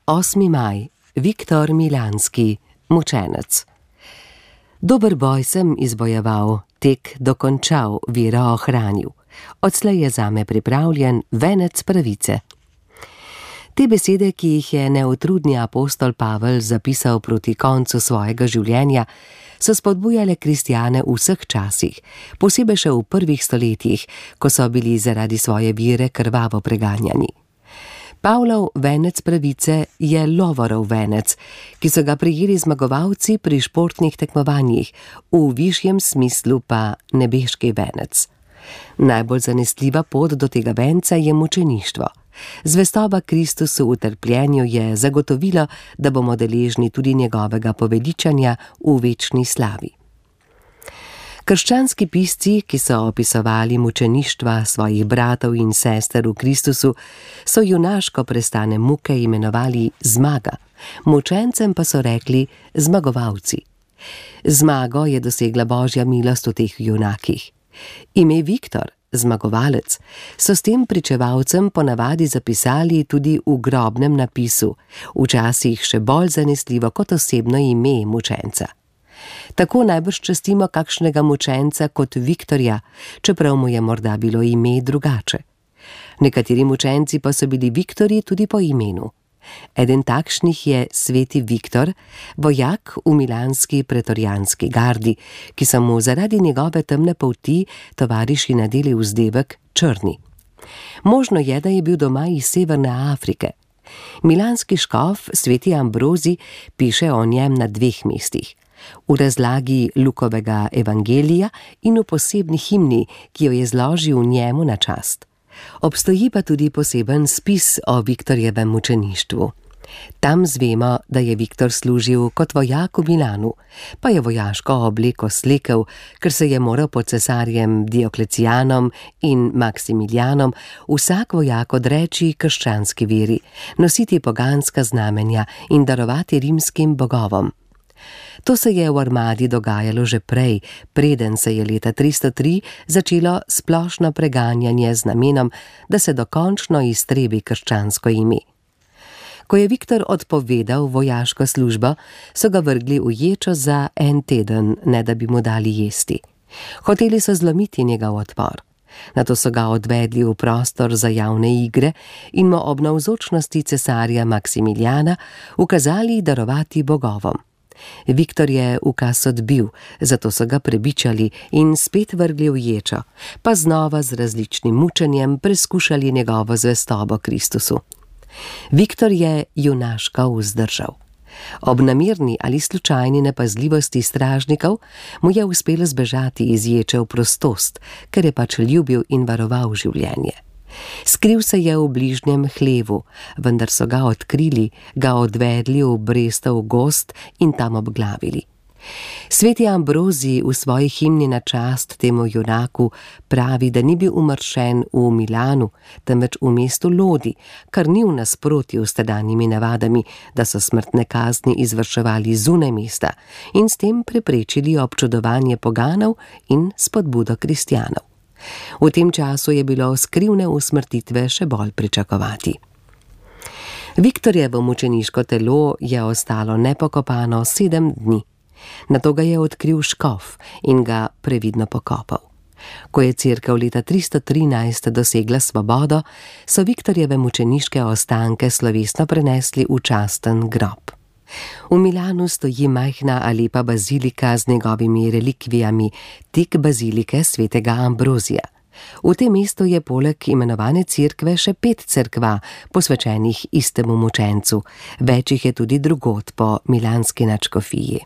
8. maj. Viktor Milanski, mučenec. Dober boj sem izbojeval, tek dokončal, vero ohranil. Odslej je zame pripravljen venec pravice. Te besede, ki jih je neutrudni apostol Pavel zapisal proti koncu svojega življenja, so spodbujale kristjane v vseh časih, posebej še v prvih stoletjih, ko so bili zaradi svoje vere krvavo preganjani. Pavlov venec pravice je lovorov venec, ki so ga prejeli zmagovalci pri športnih tekmovanjih, v višjem smislu pa nebeški venec. Najbolj zanesljiva pot do tega venca je mučeništvo. Zvestoba Kristusu v trpljenju je zagotovilo, da bomo deležni tudi njegovega poveličanja v večni slavi. Krščanski pisci, ki so opisovali mučeništva svojih bratov in sester v Kristusu, so junaško prestane muke imenovali zmaga, mučencem pa so rekli zmagovalci. Zmago je dosegla Božja milost v teh junakih. Ime Viktor, zmagovalec, so s tem pričevalcem ponavadi zapisali tudi v grobnem napisu, včasih še bolj zanesljivo kot osebno ime mučenca. Tako najbrž častimo kakšnega mučenca kot Viktorja, čeprav mu je morda bilo ime drugače. Nekateri mučenci pa so bili Viktorji tudi po imenu. Eden takšnih je sveti Viktor, vojak v milanski pretorijanski gardi, ki so mu zaradi njegove temne polti tovariši nadeli vzdevek črni. Možno je, da je bil doma iz Severne Afrike. Milanski škof sveti Ambrozij piše o njem na 2 mestih. V razlagi Lukovega evangelija in v posebni himni, ki jo je zložil njemu na čast. Obstoji pa tudi poseben spis o Viktorjevem mučeništvu. Tam zvemo, da je Viktor služil kot vojak v Milanu, pa je vojaško obleko slekel, ker se je moral pod cesarjem Dioklecijanom in Maksimilijanom vsak vojak odreči krščanski veri, nositi poganska znamenja in darovati rimskim bogovom. To se je v armadi dogajalo že prej, preden se je leta 303 začelo splošno preganjanje z namenom, da se dokončno iztrebi krščansko ime. Ko je Viktor odpovedal vojaško službo, so ga vrgli v ječo za 1 teden, ne da bi mu dali jesti. Hoteli so zlomiti njegov odpor. Nato so ga odvedli v prostor za javne igre in mu ob navzočnosti cesarja Maksimilijana ukazali darovati bogovom. Viktor je ukaz odbil, zato so ga prebičali in spet vrgli v ječo, pa znova z različnim mučenjem preskušali njegovo zvestobo Kristusu. Viktor je junaško vzdržal. Ob namerni ali slučajni nepazljivosti stražnikov mu je uspelo zbežati iz ječe v prostost, ker je pač ljubil in varoval življenje. Skril se je v bližnjem hlevu, vendar so ga odkrili, ga odvedli v Brestov gozd in tam obglavili. Sveti Ambrozij v svoji himni na čast temu junaku pravi, da ni bil umršen v Milanu, temveč v mestu Lodi, kar ni v nasprotju s tedanjimi navadami, da so smrtne kazni izvrševali zunaj mesta in s tem preprečili občudovanje poganov in spodbudo kristjanov. V tem času je bilo skrivne usmrtitve še bolj pričakovati. Viktorjevo mučeniško telo je ostalo nepokopano 7 dni. Nato ga je odkril škof in ga previdno pokopal. Ko je cerkev leta 313 dosegla svobodo, so Viktorjeve mučeniške ostanke slovesno prenesli v časten grob. V Milanu stoji majhna ali lepa bazilika z njegovimi relikvijami, tik bazilike svetega Ambrozija. V tem mestu je poleg imenovane cerkve še 5 cerkva, posvečenih istemu mučencu, več jih je tudi drugod po milanski nadškofiji.